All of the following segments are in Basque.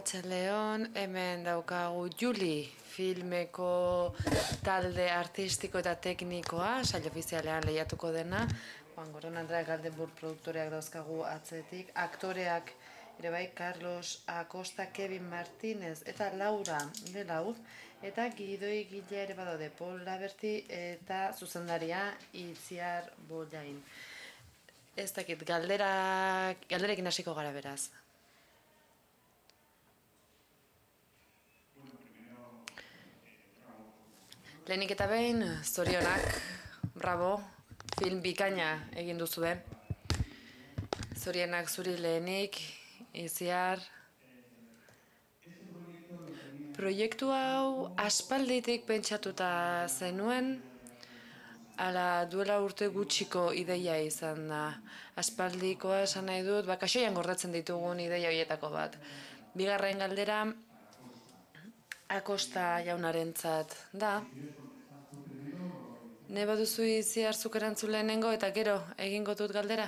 Arratsaldeon, hemen daukagu Juli filmeko talde artistiko eta teknikoa, sail ofizialean lehiatuko dena. Juan Goron Andrea Galdenburg produktoreak dauzkagu atzetik, aktoreak ere bai, Carlos Acosta, Kevin Martínez eta Laura Delauz, eta gidoi gilea ere badaude, Paul Laberti eta zuzendaria Itziar Bollain. Ez dakit, galderekin hasiko gara beraz. Lehenik eta behin, zorionak, bravo, film bikaina egin duzue. Zorionak zuri lehenik, Itziar. Proiektu hau aspalditik pentsatuta zenuen, ala duela urte gutxiko ideia izan da. Aspaldikoa esan nahi dut, kaxoian gordetzen ditugun ideia horietako bat. Bigarren galdera, Acosta jaunarentzat da. Ne baduzu Itziar zuk erantzun lehenengo eta gero egingo dut galdera?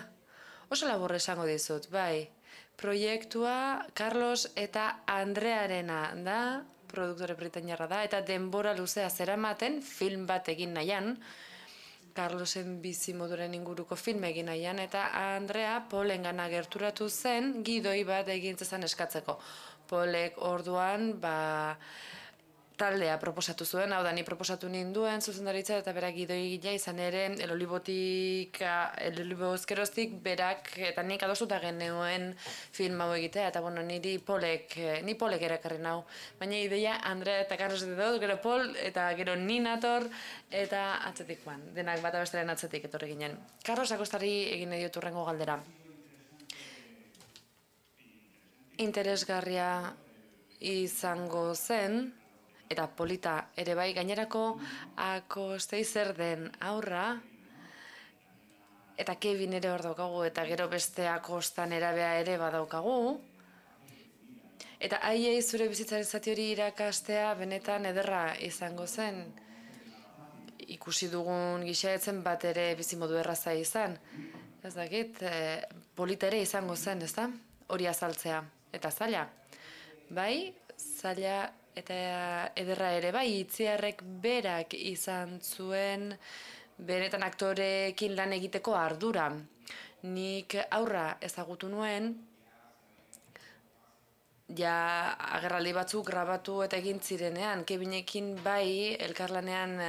Oso labur esango dizut, bai. Proiektua Carlos eta Andrearena da, produktore britainiarra da, eta denbora luzea zeramaten film bat egin nahian, Carlosen bizimoduren inguruko film egin nahian, eta Andrea Paulengana gerturatu zen gidoi bat egin zezan eskatzeko. Paulek orduan, taldea proposatu zuen, hau da, ni proposatu ninduen zuzendaritza eta berak gidoi gila izan ere, El Olivo ezkeroztik berak eta nik adostuta genuen film hau egitea, eta bueno, ni Paulek erakarri nau. Baina ideia Andrea eta Carlos dut, gero Paul eta gero ni nator eta atzetik joan, denak bata bestaren atzetik etorri ginen. Carlos Acostari egin nahi dut hurrengo galdera. Interesgarria izango zen, eta polita ere bai, gainerako Acostei zer den aurra, eta Kevin ere hor daukagu, eta gero beste Acosta nerabea ere badaukagu. Eta haiei zure bizitzaren zati hori irakastea benetan ederra izango zen. Ikusi dugun gixaetzen bat ere bizimodu erraza izan. Ez dakit, polita ere izango zen, ez da? Hori azaltzea. Eta zaila. Bai, zaila eta ederra ere bai, Itziarrek berak izan zuen benetan aktoreekin lan egiteko ardura. Nik aurra ezagutu nuen, ja agerraldi batzuk grabatu eta egin zirenean, Kevinekin bai elkarlanean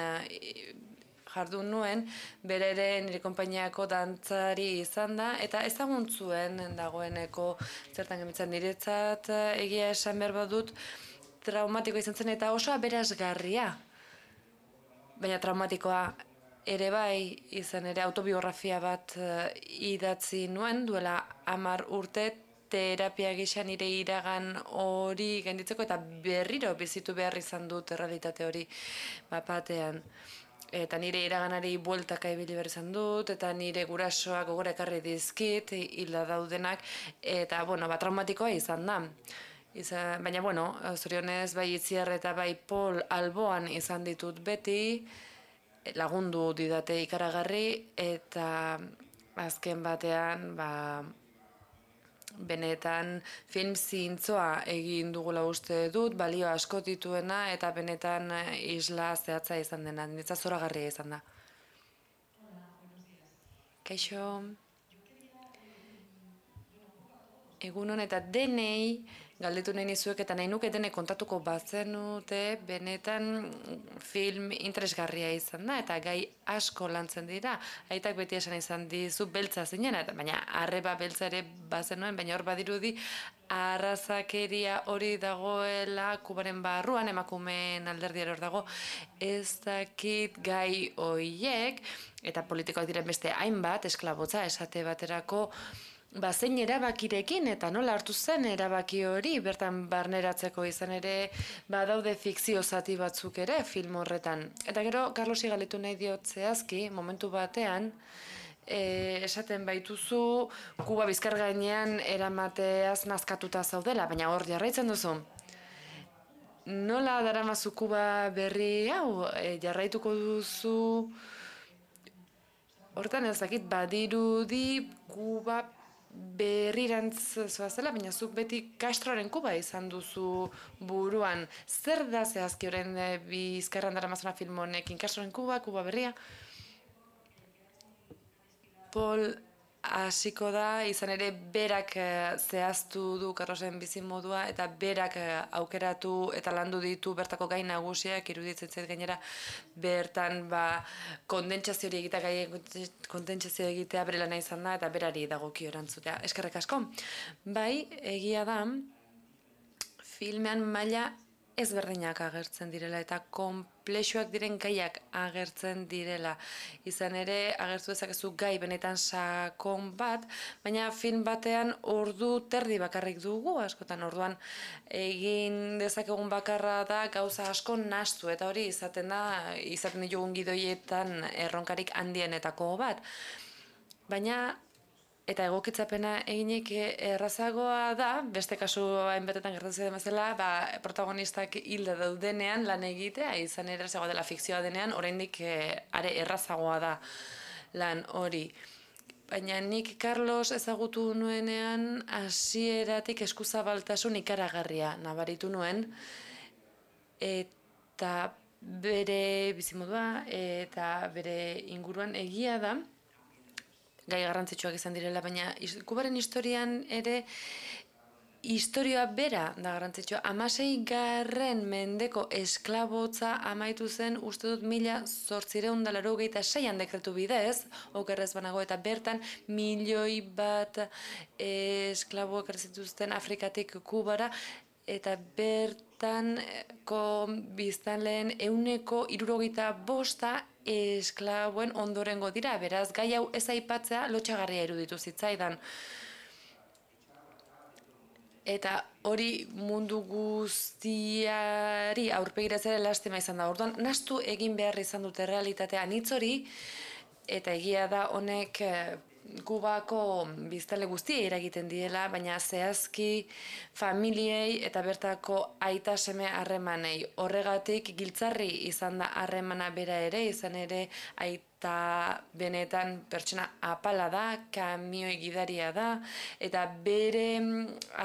jardun nuen, bere ere nire konpainiako dantzari izan da, eta ezagun zuen dagoeneko zertan gemitzen niretzat egia esan behar badut, traumatikoa izan zen eta oso aberasgarria. Baina traumatikoa ere bai izan ere autobiografia bat idatzi nuen, duela 10 urte terapia gisa nire iragan hori gainditzeko eta berriro bizitu behar izan dut errealitate hori batean. Eta nire iraganari bueltaka ibili behar izan dut, eta nire gurasoak gogora ekarri dizkit, hilda daudenak, eta traumatikoa izan da. Baina, zorionez, bai Itziar eta bai Paul alboan izan ditut beti, lagundu didate ikaragarri, eta azken batean, benetan film zintzoa egin dugula uste dut, balio asko dituena, eta benetan isla zehatza izan dena, niretzat zoragarria izan da. Kaixo, egunon eta denei galdetu nahi nizuek eta nahi nuke denek kontatuko bazenute benetan film interesgarria izan da eta gai asko lantzen dira. Aitak beti esan izan dizu beltza zinen, baina arreba beltza ere bazenuen, baina hor badirudi arrazakeria hori dagoela Kubaren barruan, emakumeen alderdiar hor dago, ez dakit gai hoiek, eta politikoak diren beste hainbat, esklabotza esate baterako, zein erabakirekin eta nola hartu zen erabaki hori, bertan barneratzeko izan ere badaude fikzio zati batzuk ere film horretan. Eta gero, Carlosi galdetu nahi diot zehazki, momentu batean, esaten baituzu Kuba bizkar gainean eramateaz nazkatuta zaudela, baina hor jarraitzen duzu. Nola daramazu Kuba berri hau, jarraituko duzu, hortan ez dakit badirudi Kuba berrirantz zoazela, baina zuk beti Castroren Kuba izan duzu buruan. Zer da zehazki orain Bizkarran daramazana film honekin? Castroren Kuba, Kuba berria? Paul hasiko da, izan ere berak zehaztu du Carlosen bizimodua eta berak aukeratu eta landu ditu bertako gai nagusiak, iruditzen zait gainera bertan kondentsazio hori egitea, gai kondentsazio egitea bere lana izan da eta berari dagokio erantzutea. Eskerrik asko. Bai, egia da, filmean maila ezberdinak agertzen direla eta konplexuak diren gaiak agertzen direla. Izan ere, agertu dezakezu gai benetan sakon bat, baina film batean ordu terdi bakarrik dugu, askotan orduan egin dezakegun bakarra da gauza asko nahastu, eta hori izaten ditugun gidoietan erronkarik handienetako bat. Baina eta egokitzapena eginik errazagoa da, beste kasu hainbatetan gertatzen bezala, protagonistak hilda daudenean lan egitea, izan errazagoa dela fikzioa denean, oraindik are errazagoa da lan hori. Baina nik Carlos ezagutu nuenean hasieratik eskuzabaltasun ikaragarria nabaritu nuen, eta bere bizimodua eta bere inguruan egia da, gai garrantzitsuak izan direla, baina Kubaren historian ere historioa bera da garrantzitsua. 16. mendeko esklabotza amaitu zen, uste dut 1886an dekretu bidez, okerrez banago, eta bertan 1.000.000 esklabo ekartzituzten Afrikatik Kubara, eta bertanko biztanleen 75% esklaboen ondorengo dira, beraz, gai hau ez aipatzea lotxagarria iruditu zitzaidan. Eta hori mundu guztiari aurpegiratzea lastima izan da. Orduan, nahastu egin behar izan dute realitatea anitz hori, eta egia da honek Kubako biztanle guztiei eragiten diela, baina zehazki familiei eta bertako aita seme harremanei. Horregatik giltzarri izan da harremana bera ere, izan ere aita benetan pertsona apala da, kamioi gidaria da, eta bere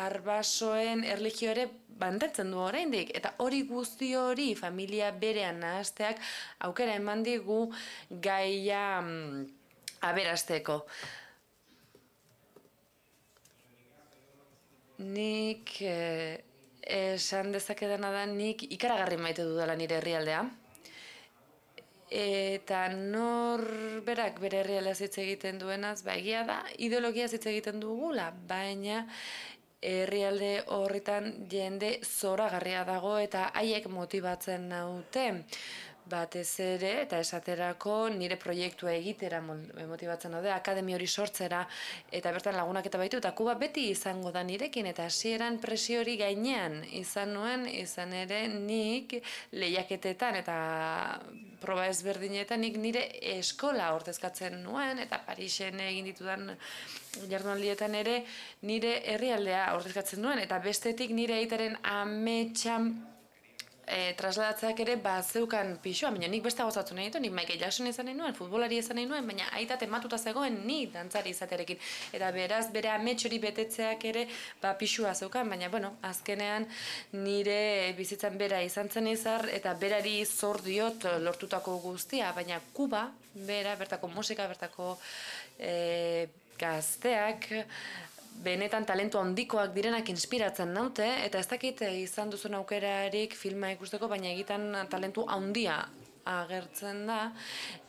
arbasoen erlijio ere bandetzen du oraindik, eta hori guzti hori familia berean nahasteak aukera eman digu gaia aberasteko. Nik esan dezakedana da nik ikaragarri maite dudala nire herrialdea. Eta norberak bere herrialdeaz hitz egiten duenaz, egia da, ideologiaz hitz egiten dugula, baina herrialde horretan jende zoragarria dago eta haiek motibatzen naute. Batez ere, eta esaterako nire proiektua egitera motibatzen daude, akademia hori sortzera, eta bertan lagunak eta baitu, eta Kuba beti izango da nirekin, eta hasieran presio hori gainean izan nuen, izan ere nik lehiaketetan eta proba ezberdinetan nik nire eskola ordezkatzen nuen, eta Parisen egin ditudan jardunaldietan ere nire herrialdea ordezkatzen nuen, eta bestetik nire aitaren ametsan trasladatzeak ere zeukan pixua, baina nik beste gozatu nahi ditu, nik Michael Jackson izan nahi nuen, futbolari izan nahi nuen, baina aita tematuta zegoen ni dantzari izaterekin. Eta beraz, bere amets hori betetzeak ere pixua zeukan, baina, azkenean nire bizitzan bera izan zen izar, eta berari zor diot lortutako guztia, baina Kuba, bera, bertako musika, bertako gazteak, benetan talentu handikoak direnak inspiratzen naute, eta ez dakit izan duzun aukerarik filma ikusteko, baina egiten talentu handia agertzen da,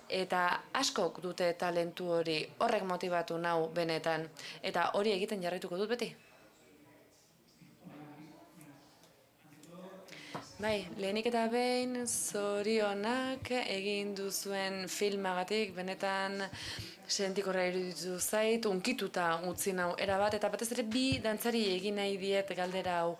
eta askok dute talentu hori, horrek motibatu nau benetan, eta hori egiten jarraituko dut beti. Bai, lehenik eta behin zorionak egin duzuen filmagatik, benetan sentikorra iruditu zait, unkituta utzi nau erabat, eta batez ere bi dantzari egin nahi diet galdera hau.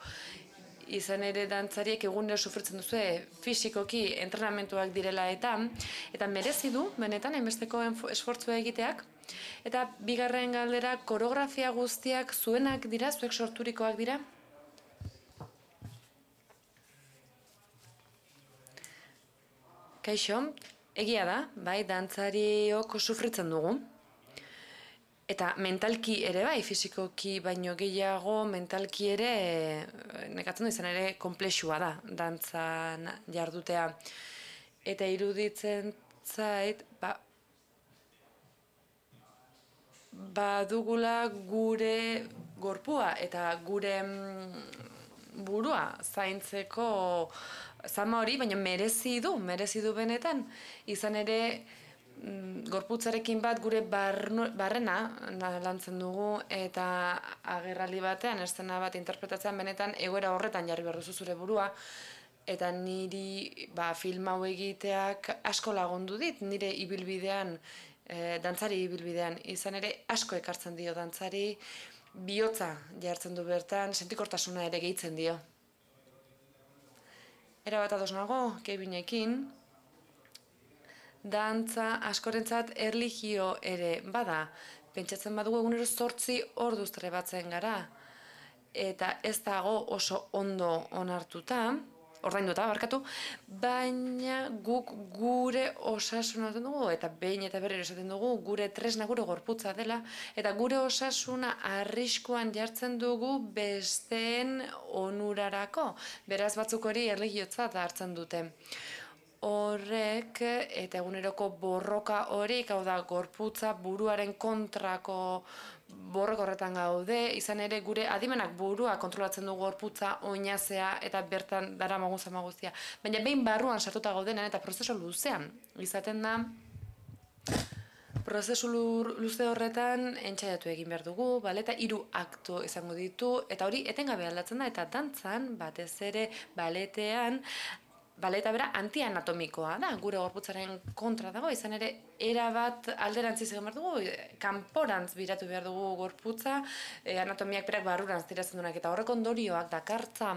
Izan ere dantzariek egunero sufritzen duzue fisikoki entrenamentuak direla eta merezi du, benetan, hainbesteko esfortzua egiteak. Eta bigarren galdera, koreografia guztiak zuenak dira, zuek sorturikoak dira? Kaixo, egia da, bai, dantzariok sufritzen dugu. Eta mentalki ere bai, fisikoki baino gehiago, mentalki ere, nekatzen du izan ere, konplexua da, dantzan jardutea. Eta iruditzen zait, badugula gure gorpua eta gure burua zaintzeko zama hori, baina merezi du benetan. Izan ere, gorputzarekin bat gure barrena lantzen dugu eta agerraldi batean, eszena bat interpretatzean benetan egoera horretan jarri behar duzu zure burua. Eta niri film hau egiteak asko lagundu dit, nire ibilbidean, dantzari ibilbidean. Izan ere asko ekartzen dio dantzari, bihotza jartzen du bertan, sentikortasuna ere gehitzen dio. Era bat ados nago, Kevinekin, dantza askorentzat erlijio ere bada. Pentsatzen badugu egunero 8 orduz trebatzen gara, eta ez dago oso ondo onartuta, ordainduta barkatu, baina guk gure osasuna dugu, eta behin eta berriro esaten dugu, gure tresna gure gorputza dela, eta gure osasuna arriskuan jartzen dugu besteen onurarako. Beraz batzuk hori erlijiotzat hartzen dute. Horrek eta eguneroko borroka horik, hau da gorputza buruaren kontrako borroka horretan gaude, izan ere gure adimenak burua kontrolatzen du gorputza, oinazea eta bertan daramagun zama guztia. Baina behin barruan sartuta gaudenean eta prozesu luzean izaten da, prozesu luze horretan entxaiatu egin behar dugu, eta 3 aktu izango ditu, eta hori etengabe aldatzen da, eta dantzan, batez ere baletean, baleta bera antianatomikoa da, gure gorputzaren kontra dago, izan ere erabat alderantziz egin behar dugu, kanporantz biratu behar dugu gorputza, anatomiak berak barrurantz tiratzen duenak, eta horrek ondorioak dakartza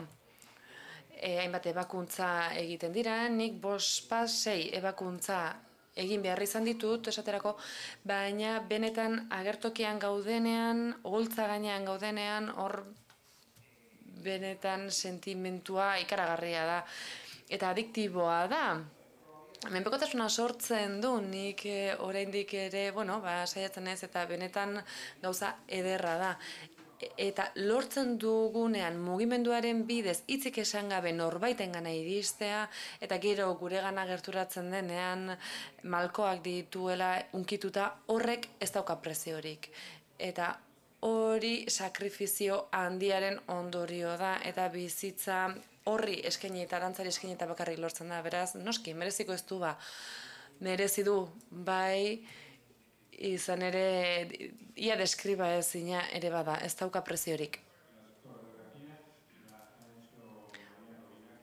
hainbat ebakuntza egiten dira, nik 5-6 ebakuntza egin behar izan ditut, esaterako, baina benetan agertokian gaudenean, oholtza gainean gaudenean, hor benetan sentimentua ikaragarria da. Eta adiktiboa da. Menpekotasuna sortzen du, nik oraindik ere, saiatzen ez, eta benetan gauza ederra da. Eta lortzen dugunean mugimenduaren bidez hitzik esan gabe norbaitengana iristea, eta gero guregana gerturatzen denean malkoak dituela unkituta, horrek ez dauka preziorik. Eta hori sakrifizio handiaren ondorio da, eta bizitza horri eskaini eta dantzari eskaini eta bakarrik lortzen da, beraz, noski, mereziko ez du merezi du, bai, izan ere, ia deskriba ezina ere bada, ez dauka preziorik.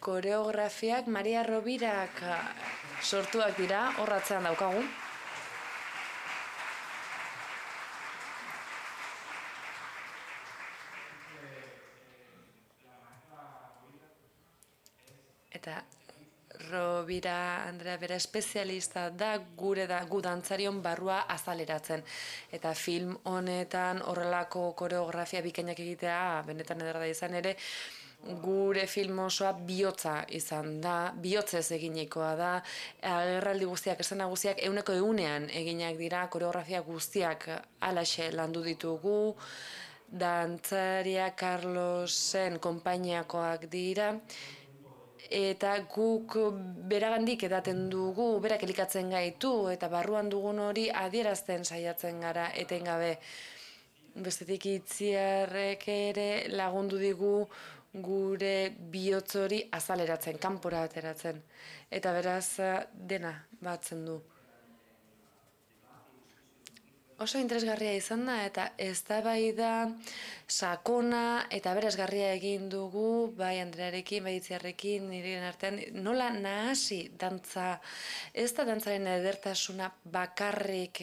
Koreografiak Maria Robirak sortuak dira, horratzean daukagu. Eta Robira Andrea bera espezialista da gu dantzarion barrua azaleratzen. Eta film honetan horrelako koreografia bikainak egitea, benetan ederra da izan ere, gure film osoa bihotza izan da, bihotzez eginekoa da, agerraldi guztiak, eszena guztiak 100% eginak dira, koreografia guztiak halaxe landu ditugu, dantzaria Carlosen konpainiakoak dira, eta guk beragandik edaten dugu, berak elikatzen gaitu, eta barruan dugun hori adierazten saiatzen gara etengabe. Bestetik Itziarrek ere lagundu digu gure bihotz hori azaleratzen, kanpora ateratzen. Eta beraz dena batzen du. Oso interesgarria izan da, eta eztabaida sakona eta aberasgarria egin dugu, bai Andrearekin, bai Itziarrekin, nireen artean, nola nahasi dantza, ez da dantzaren edertasuna bakarrik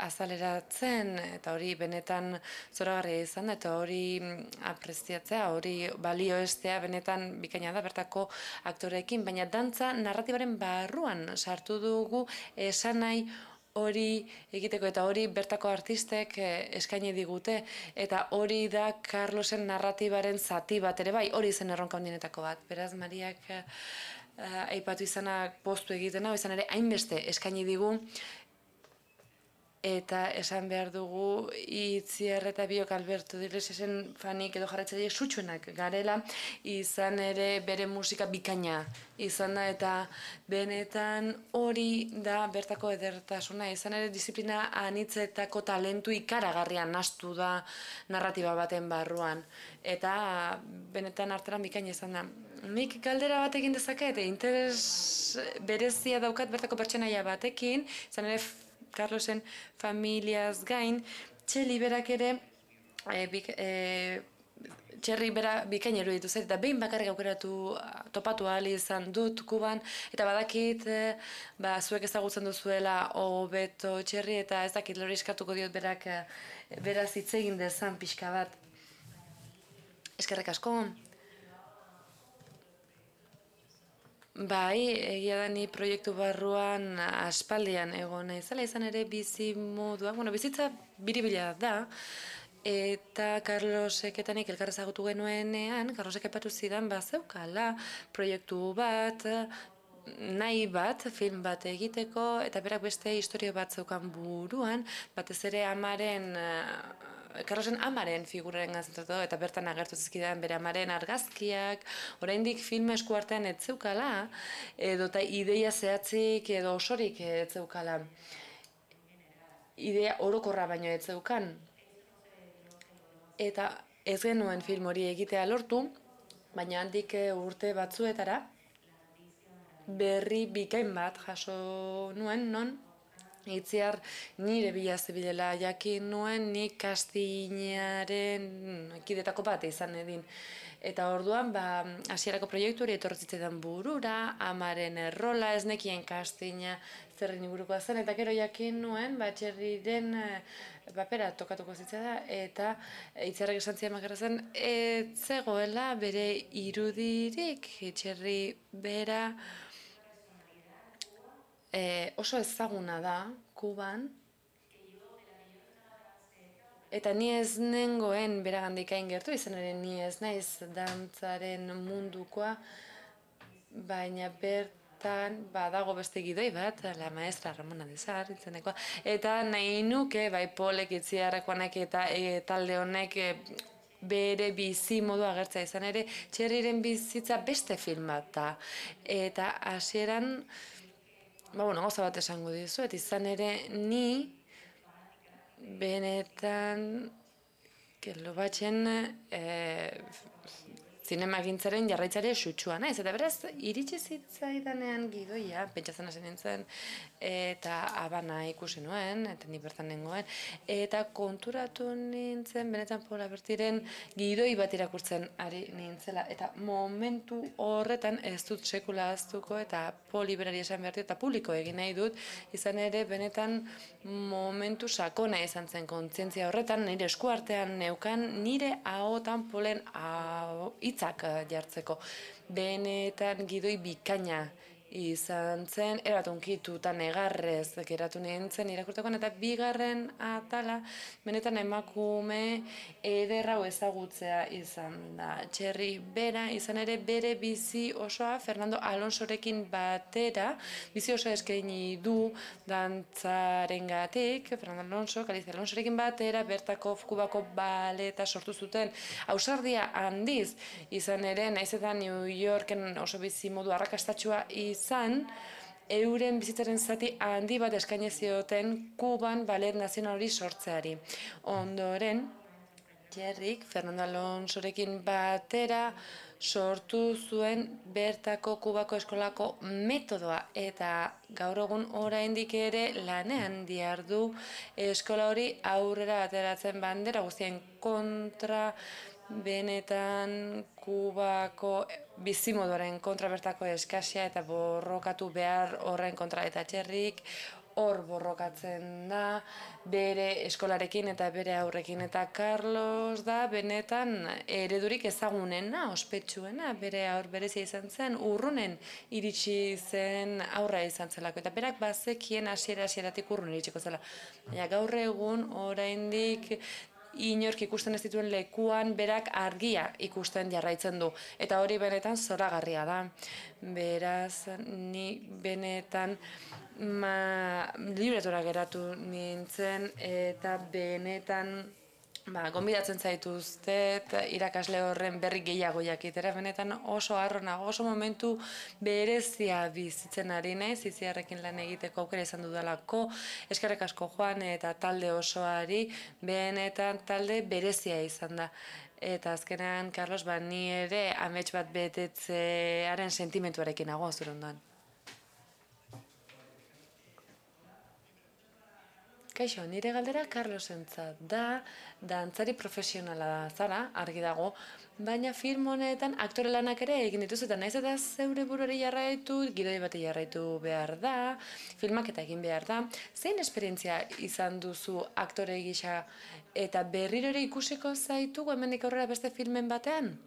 azaleratzen, eta hori benetan zoragarria izan da, eta hori apreziatzea, hori balioestea benetan bikaina da bertako aktoreekin, baina dantza narratibaren barruan sartu dugu esanahi hori egiteko, eta hori bertako artistek eskaini digute, eta hori da Carlosen narratibaren zati bat ere bai, hori zen erronka handienetako bat. Beraz, Mariak aipatu izanak postu egiten hau, izan ere hainbeste eskaini digu, eta esan behar dugu Itziar eta biok Alberto Iglesiasen fanik edo jarraitzaileek sutsuenak garela, izan ere bere musika bikaina izan da, eta benetan hori da bertako edertasuna, izan ere disiplina anitzetako talentu ikaragarrian nahastu da narratiba baten barruan, eta benetan artelan bikaina izan da. Nik galdera bat egin dezaket, interes berezia daukat bertako pertsonaia batekin, izan ere Carlosen familiaz gain, Txeli berak ere, Txerri bera bikain eruditu zait, eta behin bakarrik topatu ahal izan dut Kuban, eta badakit, zuek ezagutzen duzuela hobeto Txerri, eta ez dakit lori eskatuko diot berak beraz hitz egin dezan pixka bat. Eskerrik asko. Bai, egia da ni proiektu barruan aspaldian egon naizela, izan ere bizi modua, bizitza biribila da, eta Carlosek eta nik elkar ezagutu genuenean, Carlosek epatu zidan zeukala proiektu bat, nahi bat, film bat egiteko, eta berak beste historio bat zeukan buruan, batez ere Carlosen amaren figuraren gantzentatu, eta bertan agertu zizkidan bere amaren argazkiak, oraindik film esku artean ez zeukala, edota ideia zehatzik edo osorik ez zeukala. Idea orokorra baino ez zeukan. Eta ez genuen film hori egitea lortu, baina handik urte batzuetara, berri bikain bat jaso nuen, non Itziar nire bila zebilela jakin nuen, nik kastinaren kidetako bat izan edin. Eta orduan, hasierako proiektu hori etortzitzen burura, amaren errola, ez nekien kastina zerren ingurukoa zen, eta gero jakin nuen, Txerriren papera tokatuko zitzea da, eta Itziarrek esan zian makarra zen, ez zegoela bere irudirik, Txerri bera, oso ezaguna da Kuban, eta ni ez nengoen beragandik hain gertu, izan ere ni ez naiz dantzaren mundukoa, baina bertan badago beste gidoi bat, la maestra Ramona Desar, itzenekoa, eta nahi nuke, Polek, Itziarrekoanek eta talde honek bere bizi modu agertza izan ere, Txerriren bizitza beste film bat da, eta hasieran gauza bat esango dizuet, izan ere ni benetan Lobatxen zinemagintzaren jarraitzare sutsua naiz, eta beraz iritsi zitzaidanean gidoia, pentsatzen hasi nintzen, eta abana ikusi nuen, eta ni bertan nengoen, eta konturatu nintzen benetan Paula Bertiren gidoi bat irakurtzen ari nintzela, eta momentu horretan ez dut sekula ahaztuko, eta Poli berari esan behar eta publiko egin nahi dut, izan ere benetan momentu sakona izan zen kontzientzia horretan, nire eskuartean neukan, nire ahotan Polen hitzak jartzeko. Benetan gidoi bikaina izan zen, eratunkituta negarrez geratu nintzen irakurtekoan, eta bigarren atala benetan emakume ederra ezagutzea izan da. Txerri bera izan ere bere bizi osoa Fernando Alonsorekin batera, bizi osoa eskaini du dantzarengatik, Fernando Alonso, Galicia Alonsorekin batera, bertako Kubako baleta sortu zuten, ausardia handiz izan ere, naiz eta New Yorken oso bizi modu arrakastatsua izan, euren bizitzaren zati handi bat eskaini zioten Kuban balet nazional hori sortzeari. Ondoren, Txerrik, Fernando Alonsorekin batera sortu zuen bertako Kubako eskolako metodoa, eta gaur egun oraindik ere lanean dihardu eskola hori aurrera ateratzen bandera guztien kontra, benetan Kubako bizimoduaren kontra, bertako eskasia eta borrokatu behar horren kontra, eta Txerrik hor borrokatzen da, bere eskolarekin eta bere aurrekin, eta Carlos da benetan eredurik ezagunena, ospetsuena, bere aur berezia izan zen, urrunen iritsi zen aurra izan zelako, eta berak bazekien hasieratik urrun iritsiko zela. Gaur egun oraindik inork ikusten ez dituen lekuan berak argia ikusten jarraitzen du, eta hori benetan zoragarria da. Beraz, ni benetan libretora geratu nintzen eta benetan gonbidatzen zaituztet irakasle horren berri gehiago jakitera, benetan oso harrona, oso momentu berezia bizitzen ari naiz, Itziarrekin lan egiteko aukera izan dudalako, eskerrik asko Joan eta talde osoari, benetan talde berezia izan da. Eta azkenean, Carlos, ni ere amets bat betetzearen sentimentuarekin nago zure ondoan. Kaixo, nire galdera Carlosentzat da, dantzari profesionala zara, argi dago, baina film honetan aktore lanak ere egin dituzu eta naiz eta zeure buruari jarraitu, gidoi bati jarraitu behar da, filmak eta egin behar da. Zein esperientzia izan duzu aktore gisa eta berriro ere ikusiko zaitugu hemendik aurrera beste filmen batean?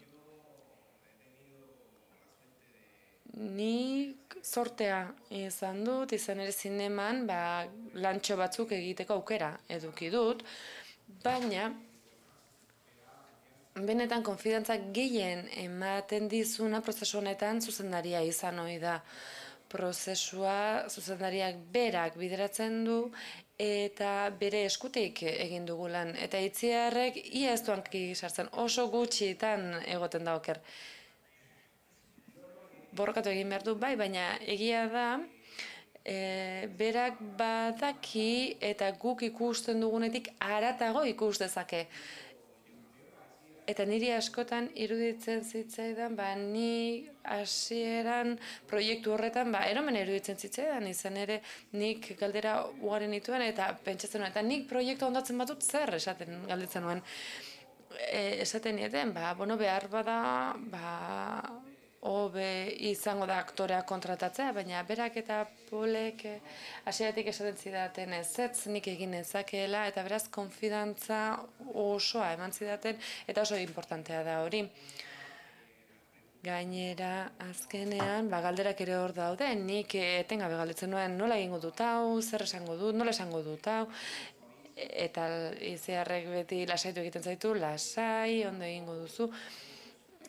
Nik sortea izan dut, izan ere zineman, lantxo batzuk egiteko aukera eduki dut, baina benetan konfidantza gehien ematen dizuna prozesu honetan zuzendaria izan ohi da. Prozesua zuzendariak berak bideratzen du eta bere eskutik egin dugu lan. Eta Itziarrek ia ez duanki sartzen, oso gutxitan egoten da oker. Borrokatu egin behar du, baina egia da, berak badaki eta guk ikusten dugunetik haratago ikus dezake. Eta niri askotan iruditzen zitzaidan, ni hasieran proiektu horretan, eromen iruditzen zitzaidan, izan ere nik galdera ugari nituen eta pentsatzen nuen, eta nik proiektu ondatzen batut zer esaten galdetzen nuen. Esaten nieten, behar bada, hobe izango da aktorea kontratatzea, baina berak eta Polek hasieratik esaten zidaten ezetz nik egin ezakeela eta beraz konfidantza osoa eman zidaten eta oso importantea da hori. Gainera, azkenean, galderak ere hor daude, nik etengabe galdetzen nuen nola egingo dut hau, zer esango dut, nola esango dut hau, eta Itziarrek beti lasaitu egiten zaitu, lasai, ondo egingo duzu.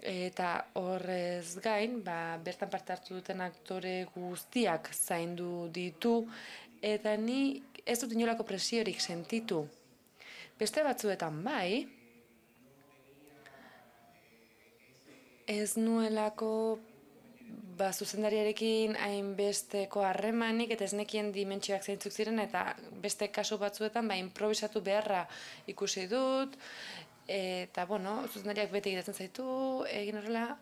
Eta horrez gain, bertan parte hartu duten aktore guztiak zaindu ditu, eta ni ez dut inolako presiorik sentitu. Beste batzuetan ez nuelako zuzendariarekin hainbesteko harremanik eta ez nekien dimentsioak zeintzuk ziren eta beste kasu batzuetan improvisatu beharra ikusi dut, eta, zuzendariak beti egiten zaitu, egin horrela,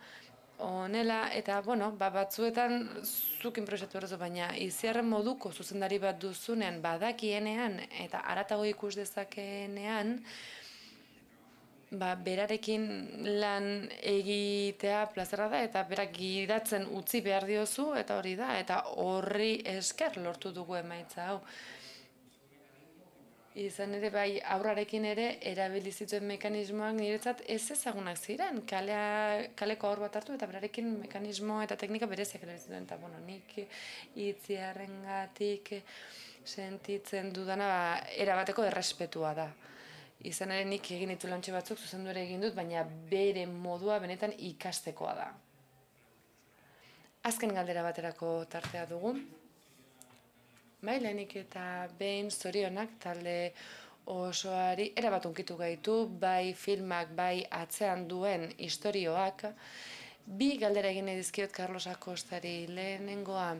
honela, eta, batzuetan zuk improvisatu horrezu, baina Itziarren moduko zuzendari bat duzunean badakienean eta haratago ikus dezakeenean, berarekin lan egitea plazera da eta berak gidatzen utzi behar diozu eta hori da, eta horri esker lortu dugu emaitza hau. Izan ere aurrarekin ere erabili zituen mekanismoak niretzat ez ezagunak ziren. Kaleko aur bat hartu eta berarekin mekanismo eta teknika bereziak erabili zituen. Eta nik Itziarrengatik sentitzen dudana erabateko errespetua da. Izan ere nik egin ditu lantxe batzuk zuzendu ere egin dut, baina bere modua benetan ikastekoa da. Azken galdera baterako tartea dugu. Lehenik eta behin zorionak talde osoari erabat hunkitu gaitu, bai filmak, bai atzean duen istorioak. Bi galdera egin nahi dizkiot Carlos Acostari. Lehenengoa,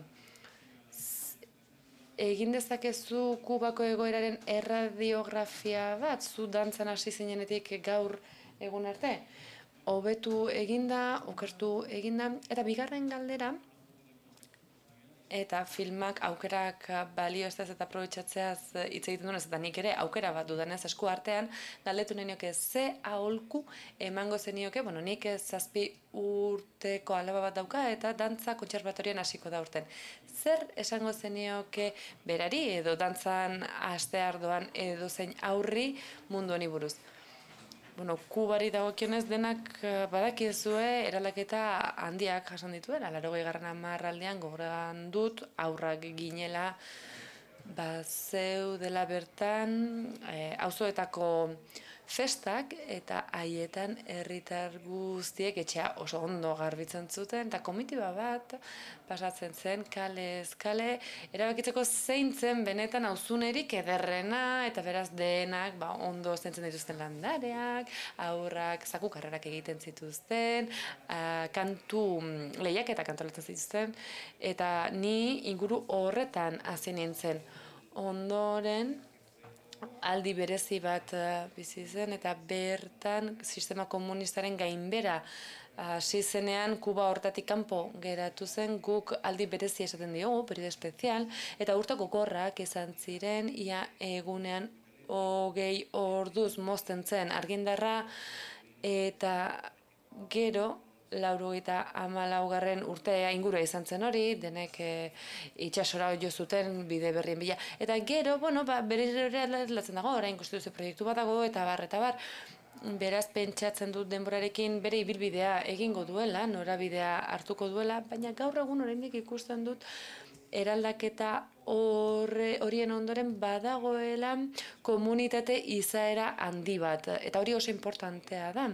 egin dezakezu Kubako egoeraren erradiografia bat, zu dantzan hasi zinenetik gaur egun arte? Hobetu eginda, okertu eginda, eta bigarren galdera, eta filmak aukerak balioestaz eta aprobetxatzeaz hitz egiten duenez, eta nik ere aukera bat dudanez esku artean, galdetu nahi nioke ze aholku emango zenioke, nik 7 urteko alaba bat dauka eta dantza kontserbatorioan hasiko da urten. Zer esango zenioke berari edo dantzan hastear doan edo zein aurri mundu honi buruz? Kubari dagokionez denak badakizue eraldaketa handiak jasan dituela. 80. hamarraldean gogoran dut aurrak ginela zeudela bertan auzoetako festak eta haietan herritar guztiek etxea oso ondo garbitzen zuten eta komitiba bat pasatzen zen kalez kale erabakitzeko zein zen benetan auzunerik ederrena eta beraz denak ondo zentzen dituzten landareak, aurrak zakukarrerak egiten zituzten, kantu lehiaketa kantolatzen zituzten eta ni inguru horretan hasi nintzen. Ondoren aldi berezi bat bizi zen eta bertan sistema komunistaren gainbera hasi zenean Kuba hortatik kanpo geratu zen, guk aldi berezi esaten diogu, periodo espezial, eta urte gogorrak izan ziren, ia egunean 20 orduz mozten zen argindarra, eta gero 94. urtea ingurua izan zen hori, denek itsasora jo zuten bide berrien bila. Eta gero, berriro aldatzen dago, orain konstituzio proiektu bat dago, eta bar. Beraz, pentsatzen dut denborarekin bere ibilbidea egingo duela, norabidea hartuko duela, baina gaur egun oraindik ikusten dut eraldaketa horien ondoren badagoela komunitate izaera handi bat, eta hori oso importantea da.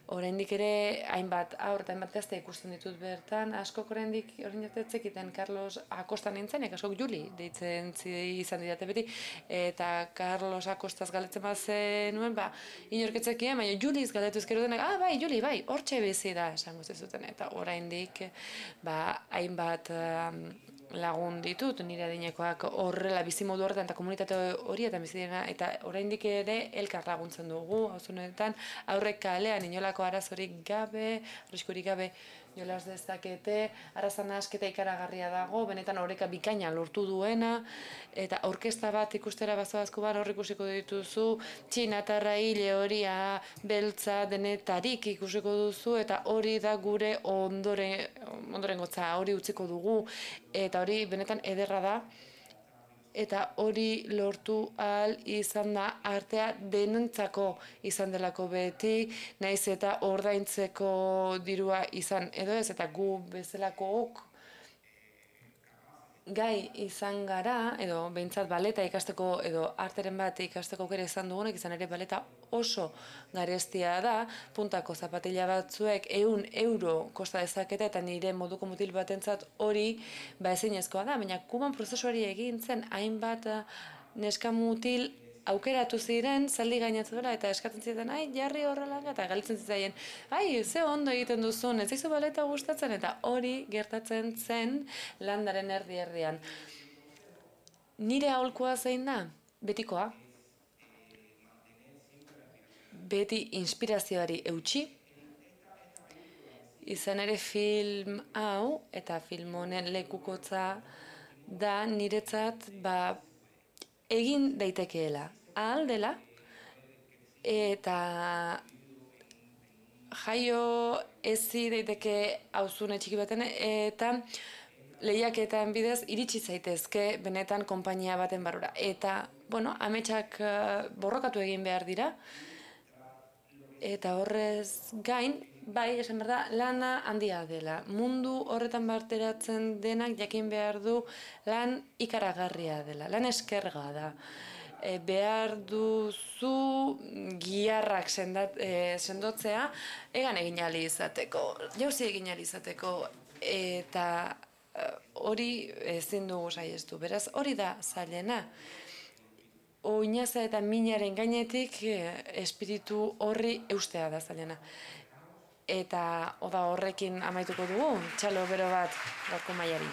Oraindik ere hainbat haur eta hainbat gazte ikusten ditut bertan, askok oraindik orain jatetzekiten Carlos Acosta nintzenek, askok Juli deitzen izan didate beti, eta Carlos Acostaz galetzen bat zenuen, inorketzekien, baina Juliz galetu ezkero denak, bai, Juli, bai, hortxe bizi da, esango zezuten, eta oraindik hainbat lagun ditut, nire adinekoak horrela bizimodu horretan eta komunitate horietan bizi dena, eta oraindik ere elkar laguntzen dugu, auzonetan aurrek kalean inolako arazorik gabe, arriskurik gabe jolas dezakete, arrazan asketa ikaragarria dago, benetan oreka bikaina lortu duena, eta orkesta bat ikustera bazoazko hor ikusiko dituzu, txinatarra, hile horia, beltza, denetarik ikusiko duzu, eta hori da gure ondoren gotza, hori utziko dugu, eta hori benetan ederra da, eta hori lortu ahal izan da artea denentzako izan delako beti, naiz eta ordaintzeko dirua izan edo ez, eta gu bezalakook gai izan gara, edo behintzat baleta ikasteko, edo arteren bat ikasteko aukera izan dugunek, izan ere baleta oso garestia da, puntako zapatila batzuek 100 euro kosta dezakete, eta nire moduko mutil batentzat hori ezinezkoa da, baina Kuban prozesuari egin zen hainbat neska mutil aukeratu ziren, zaldi gainatzu dela, eta eskatzen ziren, jarri horrela, eta galitzen zitzaien, ze ondo egiten duzun, ez zaizu baleta gustatzen, eta hori gertatzen zen landaren erdi-erdian. Nire aholkua zein da? Betikoa. Beti inspirazioari eutsi, izan ere film hau, eta film honen lekukotza da niretzat, egin daitekeela, ahal dela, eta jaio ezi daiteke auzune txiki baten, eta lehiaketan bidez iritsi zaitezke benetan konpainia baten barrura. Eta, ametsak borrokatu egin behar dira, eta horrez gain, bai, esan behar da, lana handia dela. Mundu horretan barteratzen denak jakin behar du lan ikaragarria dela, lan eskerga da. Behar duzu giharrak sendotzea, egan egin ahal izateko, jauzi egin ahal izateko, eta hori ezin dugu saihestu. Beraz, hori da zailena. Oinaza eta minaren gainetik espiritu horri eustea da zailena. Eta horrekin amaituko dugu, txalo bero bat gaurko mailari.